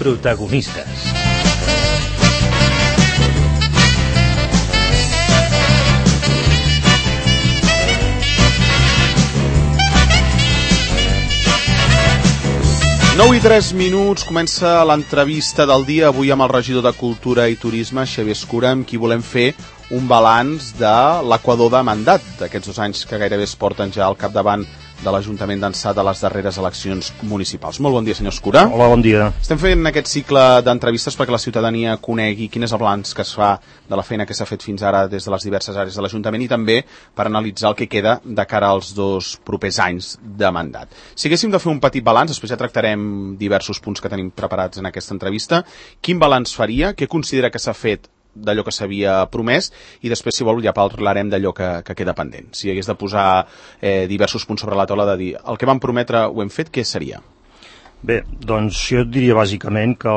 Protagonistes. Nou i 3 minuts, comença l'entrevista del dia, avui amb el regidor de Cultura i Turisme, Xavier Escura, amb qui volem fer un balanç de l'equador de mandat d'aquests 2 anys que gairebé es porten ja al capdavant de l'Ajuntament d'Ençà de les darreres eleccions municipals. Molt bon dia, senyor Escura. Hola, bon dia. Estem fent aquest cicle d'entrevistes perquè la ciutadania conegui quin és el balanç que es fa de la feina que s'ha fet fins ara des de les diverses àrees de l'Ajuntament i també per analitzar el que queda de cara als 2 propers anys de mandat. Si haguéssim de fer un petit balanç, després ja tractarem diversos punts que tenim preparats en aquesta entrevista, quin balanç faria, què considera que s'ha fet d'allò que s'havia promès i després, si vol, ja parlarem d'allò que queda pendent. Si hagués de posar diversos punts sobre la taula de dir el que vam prometre ho hem fet, què seria? Bé, doncs jo diria bàsicament que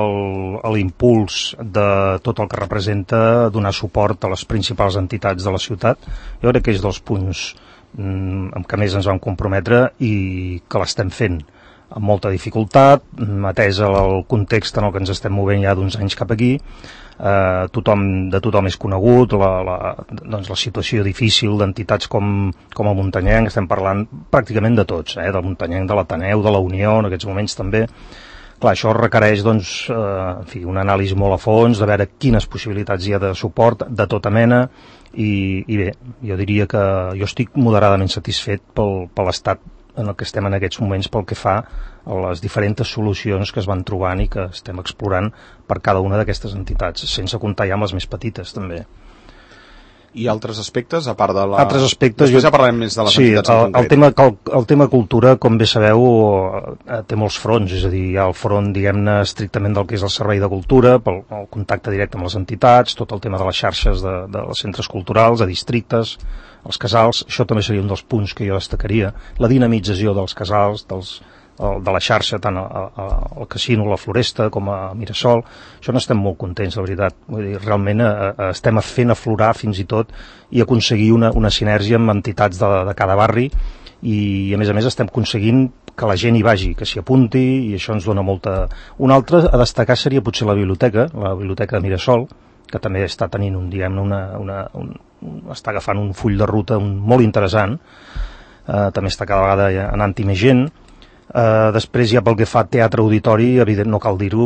l'impuls de tot el que representa donar suport a les principals entitats de la ciutat, jo crec que és dels punts amb què més ens vam comprometre i que l'estem fent amb molta dificultat, atès el context en el que ens estem movent ja d'uns anys cap aquí. De tothom és conegut doncs la situació difícil d'entitats com el Muntanyenc, estem parlant pràcticament de tots, del Muntanyenc, de l'Ateneu, de la Unió, en aquests moments també. Clar, això requereix doncs, una anàlisi molt a fons, de veure quines possibilitats hi ha de suport, de tota mena, i bé, jo diria que jo estic moderadament satisfet per l'estat en el que estem en aquests moments pel que fa a les diferents solucions que es van trobant i que estem explorant per cada una d'aquestes entitats, sense comptar ja amb les més petites també. I altres aspectes, a part de la... Altres aspectes... Després ja parlarem més de les entitats en concret. El tema cultura, com bé sabeu, té molts fronts, és a dir, hi ha el front, diguem-ne, estrictament del que és el servei de cultura, pel contacte directe amb les entitats, tot el tema de les xarxes dels centres culturals, de districtes, els casals, això també seria un dels punts que jo destacaria, la dinamització dels casals, de la xarxa, tant al casino, a la Floresta, com a Mirasol. Això n'estem molt contents, la veritat. Vull dir, realment estem fent aflorar fins i tot i aconseguir una sinergia amb entitats de cada barri i a més estem aconseguint que la gent hi vagi, que s'hi apunti i això ens dona molta... Un altre a destacar seria potser la biblioteca de Mirasol, que també està tenint està agafant un full de ruta molt interessant, també està cada vegada anant-hi més gent. Després ja pel que fa a teatre auditori, evident no cal dir-ho,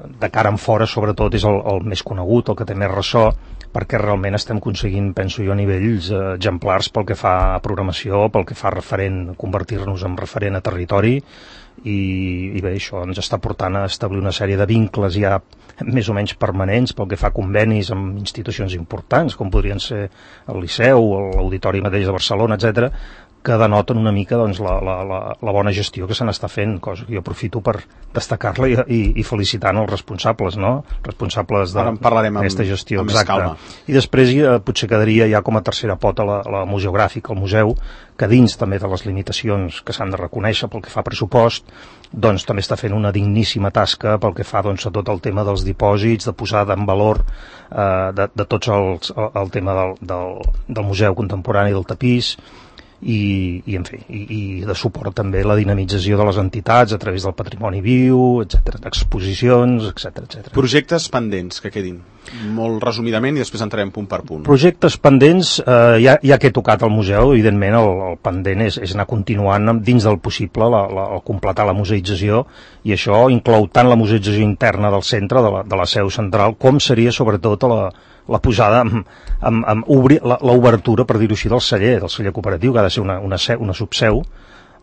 de cara en fora sobretot és el més conegut, el que té més ressò, perquè realment estem aconseguint, penso jo, a nivells exemplars pel que fa a programació, pel que fa a referent, convertir-nos en referent a territori i bé, això ens està portant a establir una sèrie de vincles ja més o menys permanents pel que fa a convenis amb institucions importants com podrien ser el Liceu o l'Auditori mateix de Barcelona, etc., que denoten una mica doncs, la bona gestió que se n'està fent, cosa que jo aprofito per destacar-la i felicitant els responsables, no? Responsables d'aquesta gestió. Amb més calma. I després potser quedaria ja com a tercera pota la museogràfica, el museu, que dins també de les limitacions que s'han de reconèixer pel que fa a pressupost, doncs també està fent una digníssima tasca pel que fa doncs, a tot el tema dels dipòsits, de posar en valor de tots el tema del museu contemporani del tapís, i de suport també a la dinamització de les entitats a través del patrimoni viu, etc., exposicions, etc. Projectes pendents que quedin, molt resumidament, i després entrarem punt per punt. Projectes pendents, ja que he tocat el museu, evidentment el pendent és anar continuant dins del possible el completar la museïtzació, i això inclou tant la museïtzació interna del centre, de la seu central, com seria sobretot la posada amb l'obertura, per dir-ho així, del celler cooperatiu, que ha de ser una subseu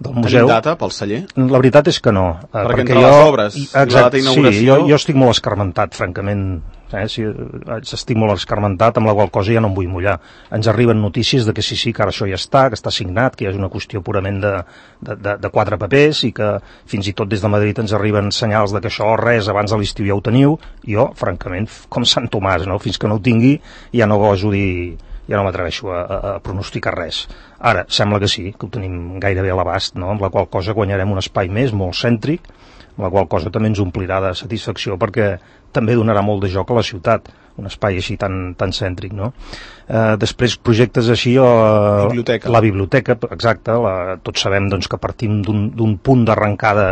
del museu. Tenim data pel celler? La veritat és que no. Perquè entre les obres, la data d'inauguració... Sí, jo estic molt escarmentat, francament. Estic molt escarmentat, amb la qual cosa ja no em vull mullar. Ens arriben notícies de que sí, que ara això ja està, que està signat, que ja és una qüestió purament de 4 papers i que fins i tot des de Madrid ens arriben senyals de que això res abans de l'estiu ja ho teniu. Jo, francament, com Sant Tomàs, no? Fins que no ho tingui ja no goso dir... ja no m'atreveixo a pronosticar res. Ara, sembla que sí, que ho tenim gairebé a l'abast, no? Amb la qual cosa guanyarem un espai més, molt cèntric, la qual cosa també ens omplirà de satisfacció perquè també donarà molt de joc a la ciutat, un espai així tan cèntric, no? Després projectes així la biblioteca, exacte, tots sabem doncs, que partim d'un punt d'arrencada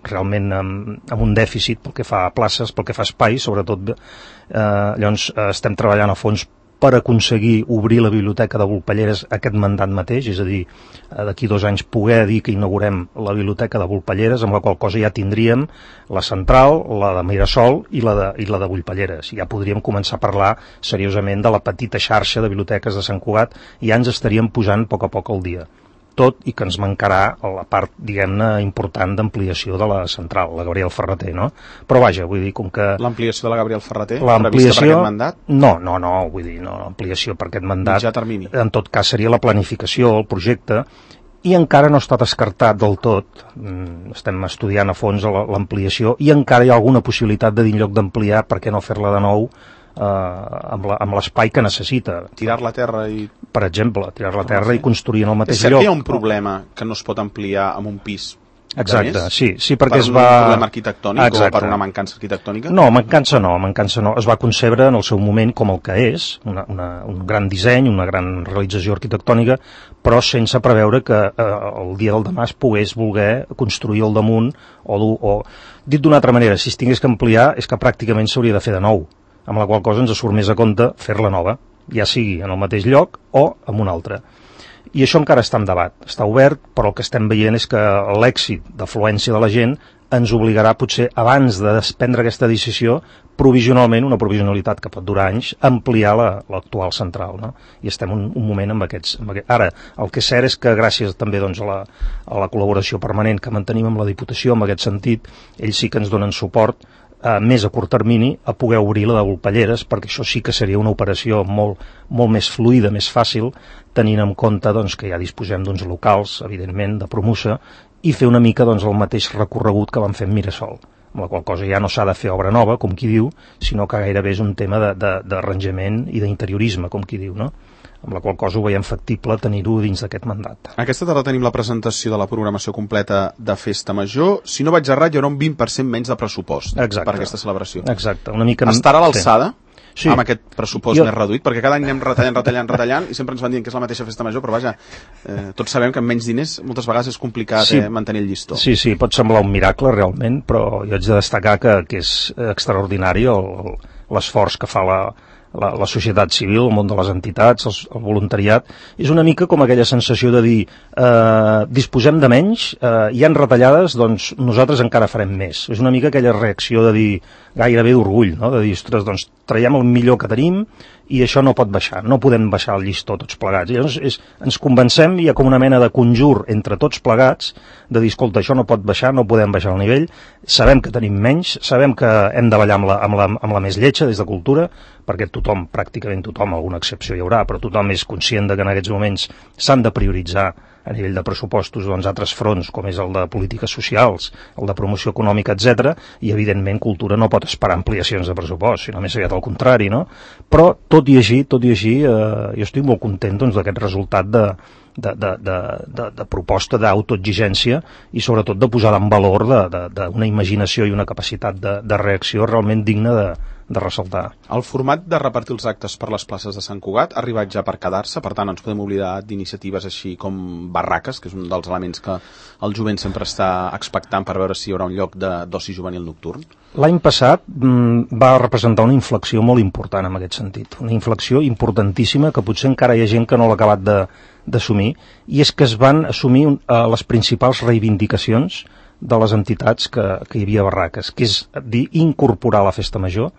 realment amb un dèficit pel que fa a places, pel que fa a espai, sobretot llavors estem treballant a fons per aconseguir obrir la biblioteca de Volpelleres aquest mandat mateix, és a dir, d'aquí 2 anys poder dir que inaugurem la biblioteca de Volpelleres, amb la qual cosa ja tindríem la central, la de Mirasol i la de Volpelleres. Ja podríem començar a parlar seriosament de la petita xarxa de biblioteques de Sant Cugat i ja ens estaríem posant a poc al dia. Tot i que ens mancarà la part, diguem-ne, important d'ampliació de la central, la Gabriel Ferrater, no? Però vaja, vull dir, com que... L'ampliació de la Gabriel Ferrater, prevista per aquest mandat? No, vull dir, no, l'ampliació per aquest mandat... Mitjà termini. En tot cas seria la planificació, el projecte, i encara no està descartat del tot. Estem estudiant a fons l'ampliació i encara hi ha alguna possibilitat de dir en lloc d'ampliar, per què no fer-la de nou amb l'espai que necessita. Tirar-la a terra i... Per exemple, tirar-la a terra i construir en el mateix lloc. És cert que hi ha un problema que no es pot ampliar amb un pis? Exacte, sí, perquè per un problema arquitectònic o per una mancança arquitectònica? No, mancança no. Es va concebre en el seu moment com el que és, un gran disseny, una gran realització arquitectònica, però sense preveure que el dia del demà es pogués voler construir al damunt o dit d'una altra manera, si es tingués que ampliar és que pràcticament s'hauria de fer de nou, amb la qual cosa ens surt més a compte fer-la nova, ja sigui en el mateix lloc o en un altre. I això encara està en debat, està obert, però el que estem veient és que l'èxit d'afluència de la gent ens obligarà potser, abans de prendre aquesta decisió, provisionalment, una provisionalitat que pot durar anys, a ampliar l'actual central, no? I estem un moment amb aquests... Ara, el que és cert és que gràcies també doncs, a la col·laboració permanent que mantenim amb la Diputació, en aquest sentit, ells sí que ens donen suport més a curt termini a poder obrir la de Volpelleres, perquè això sí que seria una operació molt més fluida, més fàcil, tenint en compte doncs, que ja disposem d'uns locals, evidentment, de promoció, i fer una mica doncs, el mateix recorregut que vam fer amb Mirasol, amb la qual cosa ja no s'ha de fer obra nova, com qui diu, sinó que gairebé és un tema d'arranjament i d'interiorisme, com qui diu, no? Amb la qual cosa ho veiem factible tenir-ho dins d'aquest mandat. Aquesta tarda tenim la presentació de la programació completa de Festa Major. Si no vaig errat, hi haurà un 20% menys de pressupost per aquesta celebració. Exacte. Una mica... Estarà a l'alçada? Sí. Amb aquest pressupost més reduït, perquè cada any anem retallant i sempre ens van dient que és la mateixa Festa Major, però vaja, tots sabem que amb menys diners moltes vegades és complicat mantenir el llistó. Sí, pot semblar un miracle realment, però jo haig de destacar que és extraordinari l'esforç que fa la societat civil, el món de les entitats, el voluntariat. És una mica com aquella sensació de dir disposem de menys, hi han retallades, doncs nosaltres encara farem més. És una mica aquella reacció de dir gairebé d'orgull, no? De dir, ostres, doncs traiem el millor que tenim i això no pot baixar, no podem baixar el llistó tots plegats. I llavors ens convencem, hi ha com una mena de conjur entre tots plegats, de dir, escolta, això no pot baixar, no podem baixar el nivell, sabem que tenim menys, sabem que hem de ballar amb la més lletja des de cultura, perquè pràcticament tothom, alguna excepció hi haurà, però tothom és conscient que en aquests moments s'han de prioritzar a nivell de pressupostos doncs, altres fronts, com és el de polítiques socials, el de promoció econòmica, etc. I, evidentment, cultura no pot esperar ampliacions de pressupost, sinó més aviat al contrari, no? Però, tot i així, jo estic molt content doncs, d'aquest resultat de proposta d'autoexigència i, sobretot, de posar en valor d'una imaginació i una capacitat de reacció realment digna de ressaltar. El format de repartir els actes per les places de Sant Cugat ha arribat ja per quedar-se, per tant ens podem oblidar d'iniciatives així com barraques, que és un dels elements que el jovent sempre està expectant per veure si hi haurà un lloc d'oci juvenil nocturn. L'any passat va representar una inflexió molt important en aquest sentit, una inflexió importantíssima que potser encara hi ha gent que no l'ha acabat d'assumir, i és que es van assumir les principals reivindicacions de les entitats que hi havia barraques, que és dir, incorporar a la Festa Major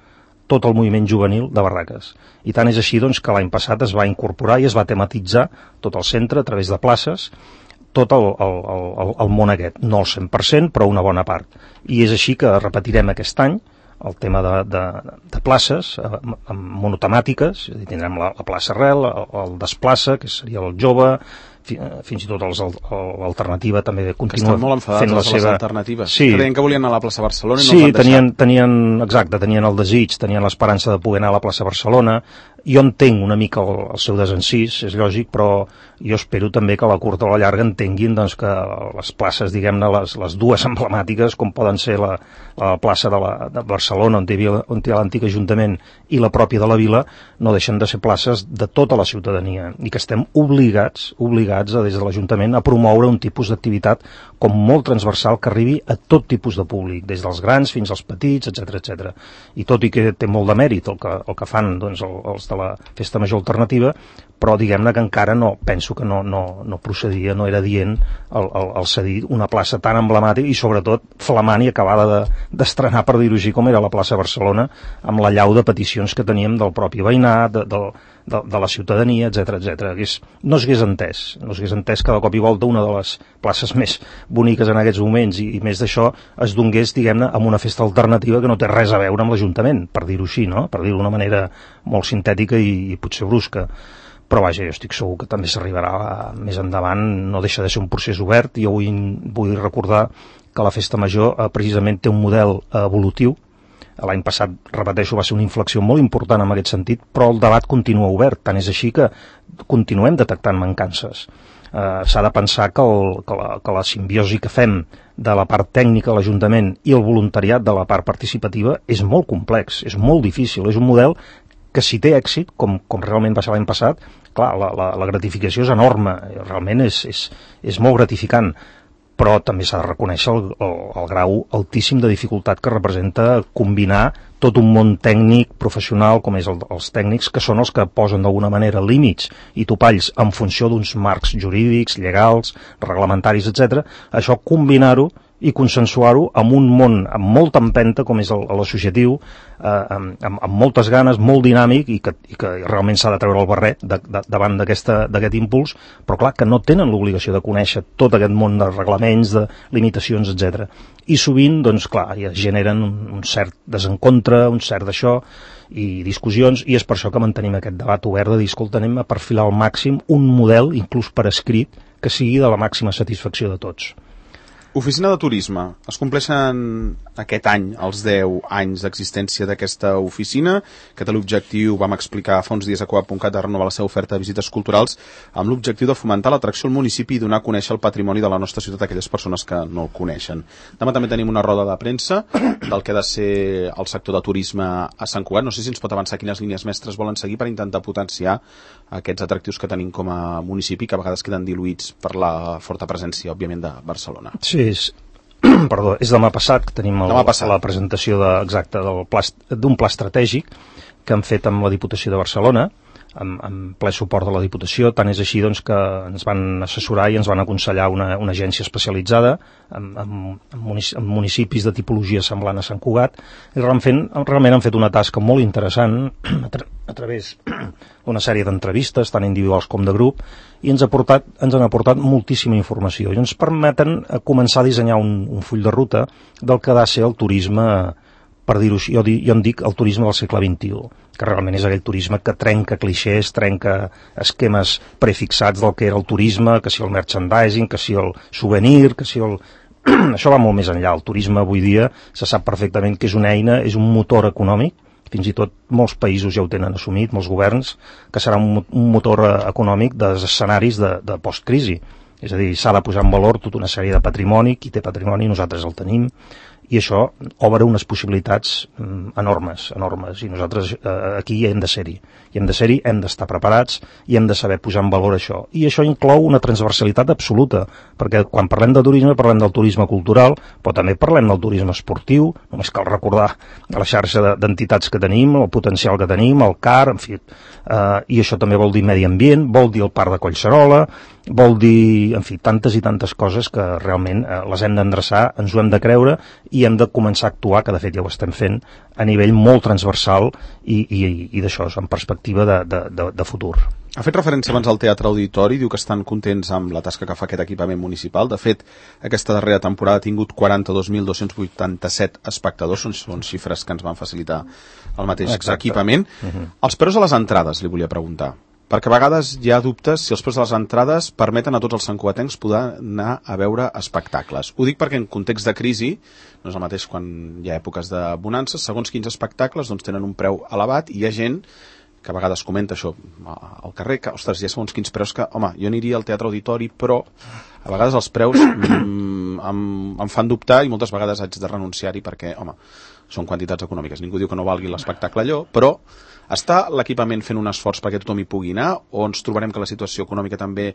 tot el moviment juvenil de barraques. I tant és així doncs, que l'any passat es va incorporar i es va tematitzar tot el centre a través de places, tot el món aquest, no el 100%, però una bona part. I és així que repetirem aquest any el tema de places monotemàtiques, tindrem la plaça Arrel, el Desplaça, que seria el jove, fins i tot l'alternativa també continua fent la seva... Que estan molt enfadats les alternatives. Sí. Que deien que volien anar a la plaça Barcelona i no sí, els van deixar. Tenien el desig, tenien l'esperança de poder anar a la plaça Barcelona. Jo entenc una mica el seu desencís, és lògic, però jo espero també que a la curta o a la llarga entenguin doncs, que les places, diguem-ne, les dues emblemàtiques, com poden ser la plaça de Barcelona, on hi ha l'antic Ajuntament, i la pròpia de la Vila, no deixen de ser places de tota la ciutadania, i que estem obligats des de l'Ajuntament a promoure un tipus d'activitat com molt transversal que arribi a tot tipus de públic, des dels grans fins als petits, etc. I tot i que té molt de mèrit el que fan doncs, els de la Festa Major Alternativa, però diguem-ne que encara penso que no procedia, no era dient el cedir una plaça tan emblemàtica i sobretot flamant i acabada d'estrenar, per dir-ho així, com era la plaça Barcelona, amb la llau de peticions que teníem del propi veïnat, de la ciutadania, etc. No s'hagués entès que de cop i volta una de les places més boniques en aquests moments i més d'això es donés, diguem-ne, amb una festa alternativa que no té res a veure amb l'Ajuntament, per dir-ho així, no? Per dir-ho d'una manera molt sintètica i potser brusca. Però vaja, jo estic segur que també s'arribarà més endavant, no deixa de ser un procés obert. Jo vull recordar que la Festa Major precisament té un model evolutiu. L'any passat, repeteixo, va ser una inflexió molt important en aquest sentit, però el debat continua obert, tant és així que continuem detectant mancances. S'ha de pensar que la simbiosi que fem de la part tècnica de l'Ajuntament i el voluntariat de la part participativa és molt complex, és molt difícil, és un model que si té èxit, com realment va ser l'any passat, clar, la gratificació és enorme, realment és molt gratificant, però també s'ha de reconèixer el grau altíssim de dificultat que representa combinar tot un món tècnic, professional, com és els tècnics, que són els que posen d'alguna manera límits i topalls en funció d'uns marcs jurídics, legals, reglamentaris, etc. Això combinar-ho i consensuar-ho amb un món amb molta empenta com és l'associatiu, amb moltes ganes, molt dinàmic i que realment s'ha de treure el barret davant d'aquest impuls, però clar, que no tenen l'obligació de conèixer tot aquest món de reglaments, de limitacions, etc. I sovint, doncs clar, ja generen un cert desencontre, un cert d'això i discussions, i és per això que mantenim aquest debat obert de dir, escolta, anem a perfilar al màxim un model, inclús per escrit, que sigui de la màxima satisfacció de tots. Oficina de Turisme. Es compleixen aquest any els 10 anys d'existència d'aquesta oficina, que té l'objectiu, vam explicar fa uns dies a Coap.cat, de renovar la seva oferta de visites culturals, amb l'objectiu de fomentar l'atracció al municipi i donar a conèixer el patrimoni de la nostra ciutat a aquelles persones que no el coneixen. Demà també tenim una roda de premsa del que ha de ser el sector de turisme a Sant Cugat. No sé si ens pot avançar quines línies mestres volen seguir per intentar potenciar aquests atractius que tenim com a municipi, que a vegades queden diluïts per la forta presència, òbviament, de Barcelona. Sí, és demà passat que tenim la presentació d'un pla estratègic que han fet amb la Diputació de Barcelona, amb ple suport de la Diputació. Tant és així doncs, que ens van assessorar i ens van aconsellar una agència especialitzada en municipis de tipologia semblant a Sant Cugat, i realment han fet una tasca molt interessant a través d'una sèrie d'entrevistes, tant individuals com de grup, i ens han aportat moltíssima informació i ens permeten començar a dissenyar un full de ruta del que ha de ser el turisme, per dir-ho així, jo en dic el turisme del segle XXI, que realment és aquell turisme que trenca clixés, trenca esquemes prefixats del que era el turisme, que si el merchandising, que si el souvenir, que si el... Això va molt més enllà. El turisme avui dia se sap perfectament que és una eina, és un motor econòmic, fins i tot molts països ja ho tenen assumit, molts governs, que serà un motor econòmic dels escenaris de postcrisi. És a dir, s'ha de posar en valor tota una sèrie de patrimoni, qui té patrimoni, nosaltres el tenim, i això obre unes possibilitats enormes, i nosaltres aquí hem de ser-hi, hem d'estar preparats i hem de saber posar en valor això. I això inclou una transversalitat absoluta, perquè quan parlem de turisme parlem del turisme cultural, però també parlem del turisme esportiu. Només cal recordar la xarxa d'entitats que tenim, el potencial que tenim, el CAR, en fi, i això també vol dir medi ambient, vol dir el Parc de Collserola, vol dir, en fi, tantes i tantes coses que realment les hem d'endreçar, ens ho hem de creure i hem de començar a actuar, que de fet ja ho estem fent, a nivell molt transversal i d'això, en perspectiva de futur. Ha fet referència abans al Teatre Auditori, diu que estan contents amb la tasca que fa aquest equipament municipal. De fet, aquesta darrera temporada ha tingut 42.287 espectadors, són xifres que ens van facilitar el mateix equipament. Els preus de les entrades, li volia preguntar, perquè a vegades hi ha dubtes si els preus de les entrades permeten a tots els santcugatencs poder anar a veure espectacles. Ho dic perquè en context de crisi, no és el mateix quan hi ha èpoques de bonances, segons quins espectacles doncs tenen un preu elevat i hi ha gent que a vegades comenta això al carrer, que, ostres, ja segons quins preus que, home, jo aniria al Teatre Auditori, però a vegades els preus em fan dubtar i moltes vegades haig de renunciar-hi perquè, home, són quantitats econòmiques. Ningú diu que no valgui l'espectacle allò, però està l'equipament fent un esforç perquè tothom hi pugui anar, o ens trobarem que la situació econòmica també,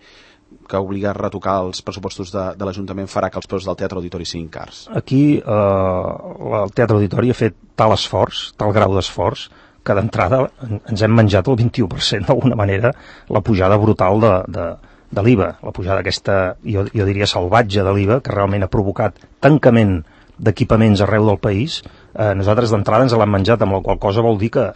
que obliga a retocar els pressupostos de l'Ajuntament, farà que els preus del Teatre Auditori siguin cars? Aquí el Teatre Auditori ha fet tal esforç, tal grau d'esforç, que d'entrada ens hem menjat el 21% d'alguna manera, la pujada brutal de l'IVA, la pujada aquesta, jo diria salvatge de l'IVA, que realment ha provocat tancament d'equipaments arreu del país. Nosaltres d'entrada ens l'hem menjat, amb la qual cosa vol dir que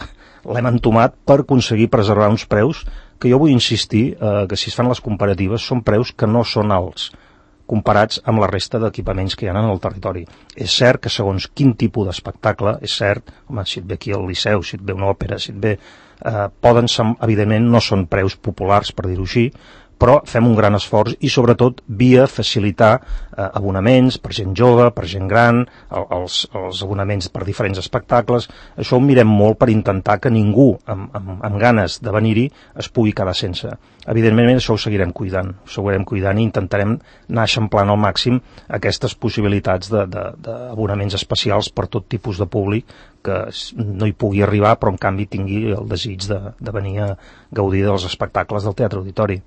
l'hem entomat per aconseguir preservar uns preus que jo vull insistir que si es fan les comparatives són preus que no són alts comparats amb la resta d'equipaments que hi ha en el territori. És cert que segons quin tipus d'espectacle, és cert, home, si et ve aquí al Liceu, si et ve una òpera, si et ve... evidentment no són preus populars, per dir-ho així, però fem un gran esforç i sobretot via facilitar abonaments per gent jove, per gent gran, els abonaments per diferents espectacles. Això ho mirem molt per intentar que ningú amb ganes de venir-hi es pugui quedar sense. Evidentment això ho seguirem cuidant i intentarem anar eixamplant al màxim aquestes possibilitats d'abonaments especials per tot tipus de públic que no hi pugui arribar però en canvi tingui el desig de venir a gaudir dels espectacles del Teatre Auditori.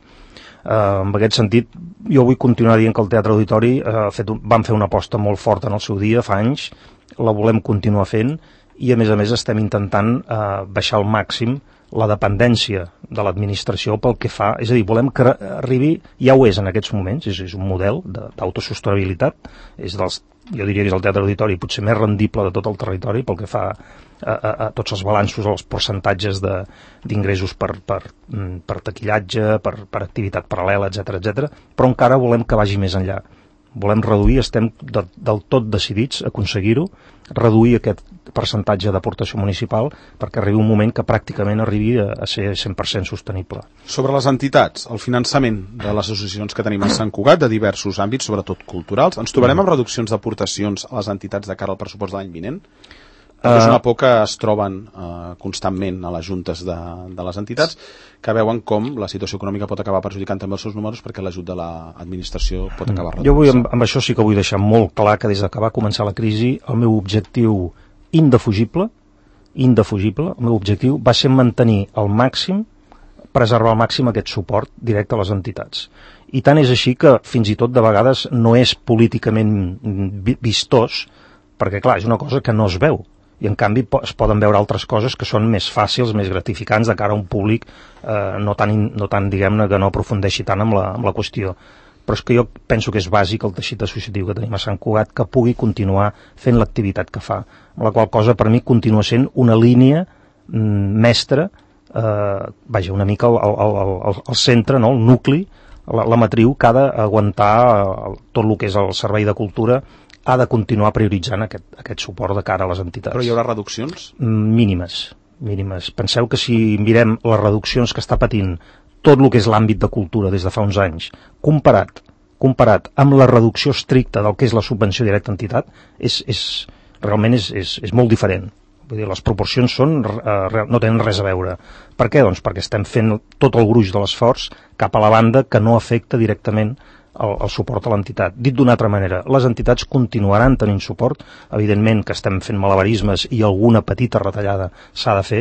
En aquest sentit, jo vull continuar dient que el Teatre Auditori vam fer una aposta molt forta en el seu dia, fa anys, la volem continuar fent i a més estem intentant baixar al màxim la dependència de l'administració pel que fa, és a dir, volem que arribi, ja ho és en aquests moments, és un model d'autosostenibilitat, jo diria que és el Teatre Auditori potser més rendible de tot el territori pel que fa a tots els balanços, als percentatges d'ingressos per taquillatge, per activitat paral·lela, etc, però encara volem que vagi més enllà. Volem reduir, estem del tot decidits a aconseguir-ho, reduir aquest percentatge d'aportació municipal perquè arribi un moment que pràcticament arribi a ser 100% sostenible. Sobre les entitats, el finançament de les associacions que tenim a Sant Cugat, de diversos àmbits, sobretot culturals, ens trobarem amb reduccions d'aportacions a les entitats de cara al pressupost de l'any vinent? És una por que es troben constantment a les juntes de les entitats, que veuen com la situació econòmica pot acabar perjudicant també els seus números perquè l'ajut de l'administració pot acabar reduint. Jo amb això sí que vull deixar molt clar que des que va començar la crisi el meu objectiu indefugible, el meu objectiu va ser mantenir al màxim, preservar al màxim aquest suport directe a les entitats. I tant és així que fins i tot de vegades no és políticament vistós, perquè clar, és una cosa que no es veu. I en canvi es poden veure altres coses que són més fàcils, més gratificants de cara a un públic no tan diguem-ne, que no aprofundeixi tant amb la qüestió. Però és que jo penso que és bàsic el teixit associatiu que tenim a Sant Cugat que pugui continuar fent l'activitat que fa, amb la qual cosa per mi continua sent una línia mestra, una mica el centre, no? El nucli, la matriu que ha d'aguantar tot el que és el servei de cultura, ha de continuar prioritzant aquest suport de cara a les entitats. Però hi haurà reduccions? Mínimes. Penseu que si mirem les reduccions que està patint tot el que és l'àmbit de cultura des de fa uns anys, comparat amb la reducció estricta del que és la subvenció directa a entitat, realment és molt diferent. Vull dir, les proporcions no tenen res a veure. Per què? Doncs perquè estem fent tot el gruix de l'esforç cap a la banda que no afecta directament el suport a l'entitat. Dit d'una altra manera, les entitats continuaran tenint suport, evidentment que estem fent malabarismes i alguna petita retallada s'ha de fer,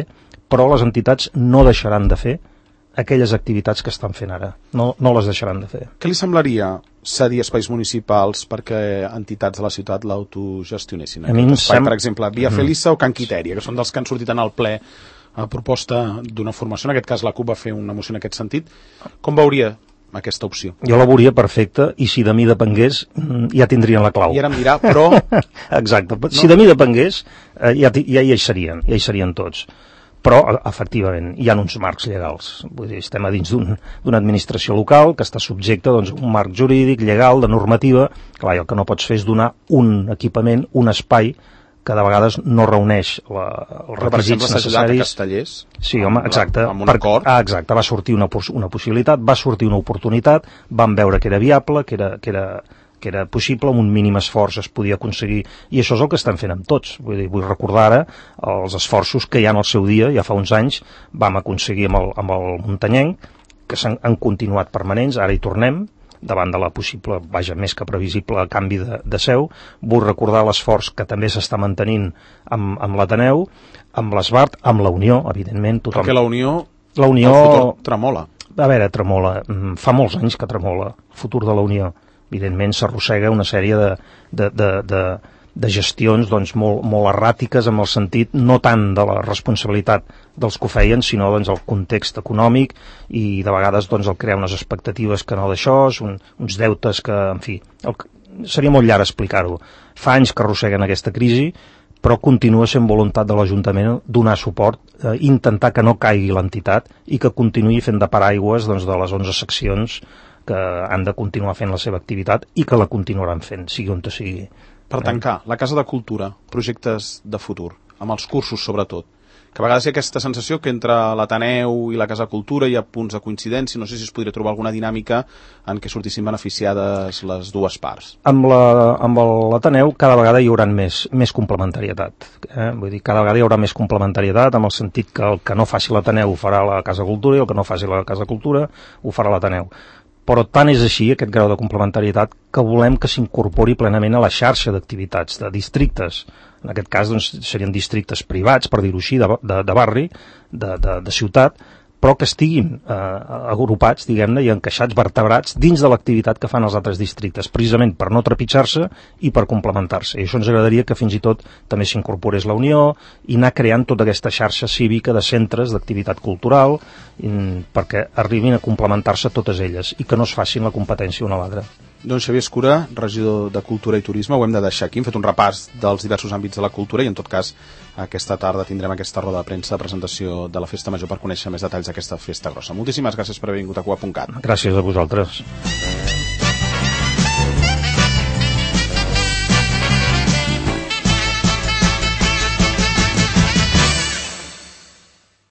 però les entitats no deixaran de fer aquelles activitats que estan fent ara. No les deixaran de fer. Què li semblaria cedir espais municipals perquè entitats de la ciutat l'autogestionessin? Per exemple, Via Felissa o Can Quitèria, que són dels que han sortit en el ple a proposta d'una formació, en aquest cas la CUP va fer una moció en aquest sentit. Com veuria aquesta opció? Jo la veuria perfecta i si de mi depengués ja tindrien la clau. I ara em dirà, però... Exacte, si de mi depengués ja hi serien tots. Però, efectivament, hi ha uns marcs legals. Vull dir, estem a dins d'una administració local que està subjecta a un marc jurídic, legal, de normativa. Clar, i el que no pots fer és donar un equipament, un espai que de vegades no reuneix els requisits necessaris. De Castellers? Sí, home, exacte. Amb un acord? Exacte, va sortir una possibilitat, va sortir una oportunitat, vam veure que era viable, que que era possible, amb un mínim esforç es podia aconseguir, i això és el que estem fent amb tots. Vull recordar ara els esforços que ja en el seu dia, ja fa uns anys, vam aconseguir amb el muntanyenc, que han continuat permanents, ara hi tornem, davant de la possible, més que previsible, canvi de seu. Vull recordar l'esforç que també s'està mantenint amb l'Ateneu, amb l'Esbart, amb la Unió, evidentment. Perquè la Unió, el futur tremola. A veure, tremola. Fa molts anys que tremola el futur de la Unió. Evidentment s'arrossega una sèrie de gestions doncs, molt erràtiques, en el sentit no tant de la responsabilitat dels que ho feien, sinó doncs, el context econòmic, i de vegades doncs, el crear unes expectatives que no d'això, uns deutes que, en fi, seria molt llarg explicar-ho. Fa anys que arrosseguen aquesta crisi, però continua sent voluntat de l'Ajuntament donar suport, intentar que no caigui l'entitat i que continuï fent de paraigües doncs, de les 11 seccions que han de continuar fent la seva activitat i que la continuaran fent, sigui on sigui. Per tancar, la Casa de Cultura, projectes de futur, amb els cursos sobretot, que a vegades hi ha aquesta sensació que entre l'Ateneu i la Casa de Cultura hi ha punts de coincidència, no sé si es podria trobar alguna dinàmica en què sortissin beneficiades les dues parts. Amb l'Ateneu cada vegada hi haurà més complementarietat. Vull dir, cada vegada hi haurà més complementarietat, en el sentit que el que no faci l'Ateneu ho farà la Casa de Cultura i el que no faci la Casa de Cultura ho farà l'Ateneu. Però tant és així, aquest grau de complementarietat, que volem que s'incorpori plenament a la xarxa d'activitats, de districtes. En aquest cas doncs, serien districtes privats, per dir-ho així, de barri, de ciutat, però que estiguin agrupats, diguem-ne, i encaixats, vertebrats, dins de l'activitat que fan els altres districtes, precisament per no trepitjar-se i per complementar-se. I això ens agradaria que fins i tot també s'incorporés la Unió i anar creant tota aquesta xarxa cívica de centres d'activitat cultural perquè arribin a complementar-se totes elles i que no es facin la competència una a l'altra. Doncs Xavier Escura, regidor de Cultura i Turisme, ho hem de deixar aquí. Hem fet un repàs dels diversos àmbits de la cultura i en tot cas aquesta tarda tindrem aquesta roda de premsa de presentació de la Festa Major per conèixer més detalls d'aquesta festa grossa. Moltíssimes gràcies per haver vingut a Cuap.cat. Gràcies a vosaltres.